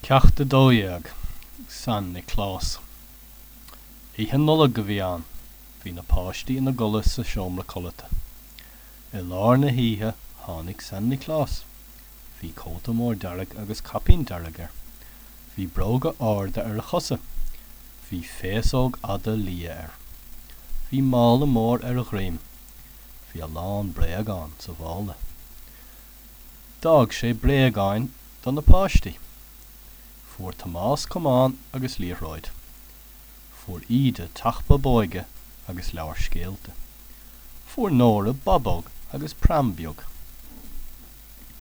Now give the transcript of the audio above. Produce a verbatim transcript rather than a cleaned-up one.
Ceacht a dó dhéag, San Nioclás. Oíche Nollag a bhí ann. Bhí na páistí ina gcodladh sa seomra codlata. I lár na hoíche tháinig San Nioclás. Bhí cóta mór dearg agus caipín dearg air. Bhí bróga arda ar a chosa. Bhí féasóg fhada liath air. Bhí mála mór ar a dhroim. Bhí a lán bréagán sa mhála. D'fhág sé bréagáin do na páistí. Fuair Tomás camán agus liathróid. Fuair Íde teach bábóige agus leabhar scéalta. Fuair Nóra bábóg agus pram beag.